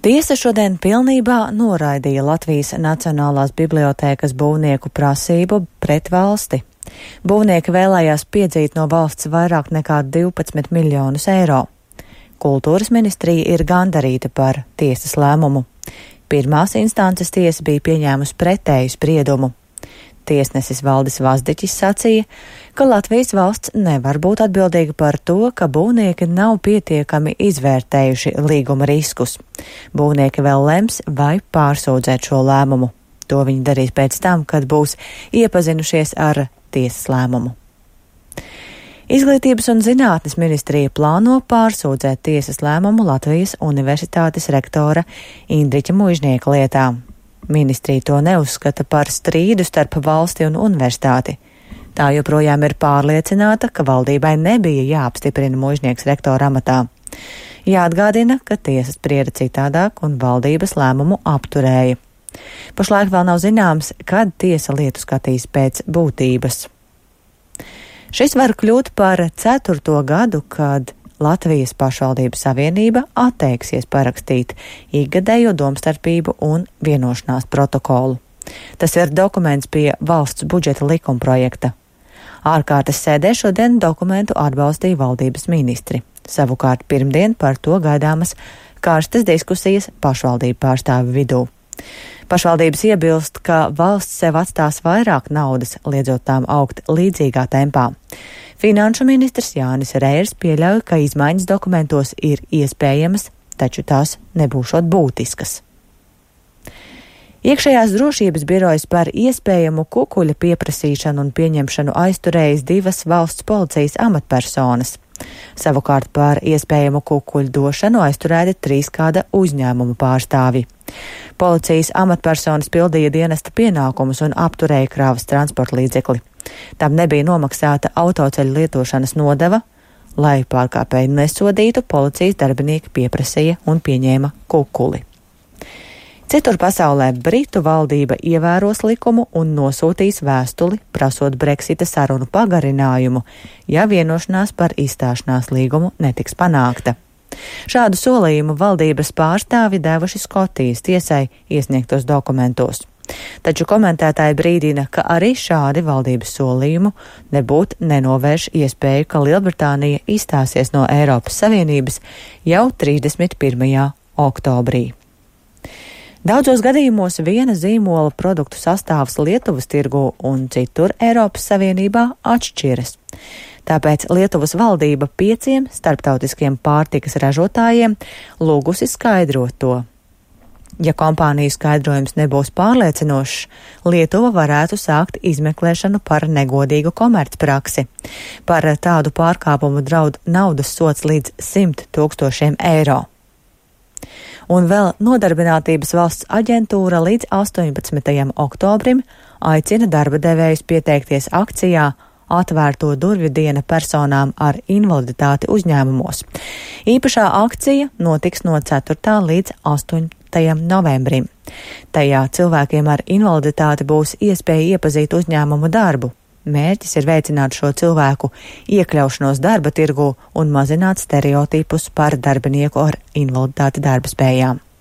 Tiesa šodien pilnībā noraidīja Latvijas Nacionālās bibliotēkas būvnieku prasību pret valsti. Būvnieki vēlējās piedzīt no valsts vairāk nekā 12 miljonus eiro. Kultūras ministrija ir gandarīta par tiesas lēmumu. Pirmās instances tiesa bija pieņēmusi pretēju spriedumu. Tiesnesis Valdis Vazdiķis sacīja, ka Latvijas valsts nevar būt atbildīga par to, ka būvnieki nav pietiekami izvērtējuši līguma riskus. Būvnieki vēl lems, vai pārsūdzēt šo lēmumu. To viņi darīs pēc tam, kad būs iepazinušies ar tiesas lēmumu. Izglītības un zinātnes ministrija plāno pārsūdzēt tiesas lēmumu Latvijas Universitātes rektora Indriķa Muižnieka lietā. Ministrija to neuzskata par strīdu starp valsti un universitāti. Tā joprojām ir pārliecināta, ka valdībai nebija jāapstiprina Muižnieks rektora amatā. Jāatgādina, ka tiesa sprieda citādāk un valdības lēmumu apturēja. Pašlaik vēl nav zināms, kad tiesa lietu skatīs pēc būtības. Šis var kļūt par 4. gadu, kad Latvijas pašvaldības savienība atteiksies parakstīt ikgadējo domstarpību un vienošanās protokolu. Tas ir dokuments pie valsts budžeta likumprojekta. Ārkārtas sēdē šodien dokumentu atbalstīja valdības ministri. Savukārt pirmdien par to gaidāmas karstas diskusijas pašvaldību pārstāvju vidū. Pašvaldības iebilst, ka valsts sev atstās vairāk naudas, liedzot tām augt līdzīgā tempā. Finanšu ministrs Jānis Reirs pieļauj, ka izmaiņas dokumentos ir iespējamas, taču tās nebūšot būtiskas. Iekšējās drošības birojas par iespējamu kukuļa pieprasīšanu un pieņemšanu aizturējis 2 valsts policijas amatpersonas. Savukārt par iespējamu kukuļu došanu aizturēti 3 kāda uzņēmuma pārstāvji. Policijas amatpersonas pildīja dienesta pienākumus un apturēja kravas transporta līdzekli. Tam nebija nomaksāta autoceļu lietošanas nodeva. Lai pārkāpēju nesodītu, policijas darbinieki pieprasīja un pieņēma kukuli. Citur pasaulē Britu valdība ievēros likumu un nosūtīs vēstuli, prasot Brexita sarunu pagarinājumu, ja vienošanās par izstāšanās līgumu netiks panākta. Šādu solījumu valdības pārstāvi devuši Skotijas tiesai iesniegtos dokumentos. Taču komentētāji brīdina, ka arī šādi valdības solījumu nebūt nenovērš iespēju, ka Lielbritānija izstāsies no Eiropas Savienības jau 31. oktobrī. Daudzos gadījumos viena zīmola produktu sastāvs Lietuvas tirgū un citur Eiropas Savienībā atšķiras. Tāpēc Lietuvas valdība 5 starptautiskiem pārtikas ražotājiem lūgusi skaidrot to. Ja kompāniju skaidrojums nebūs pārliecinošs, Lietuva varētu sākt izmeklēšanu par negodīgu komercpraksi. Par tādu pārkāpumu draud naudas sods līdz 100 000 eiro. Un vēl Nodarbinātības valsts aģentūra līdz 18. oktobrim aicina darba devējus pieteikties akcijā Atvērto durvju diena personām ar invaliditāti uzņēmumos. Īpašā akcija notiks no 4. līdz 8. novembrim. Tajā cilvēkiem ar invaliditāti būs iespēja iepazīt uzņēmumu darbu. Mērķis ir veicināt šo cilvēku iekļaušanos darba tirgū un mazināt stereotipus par darbinieku ar invaliditāti darba spējām.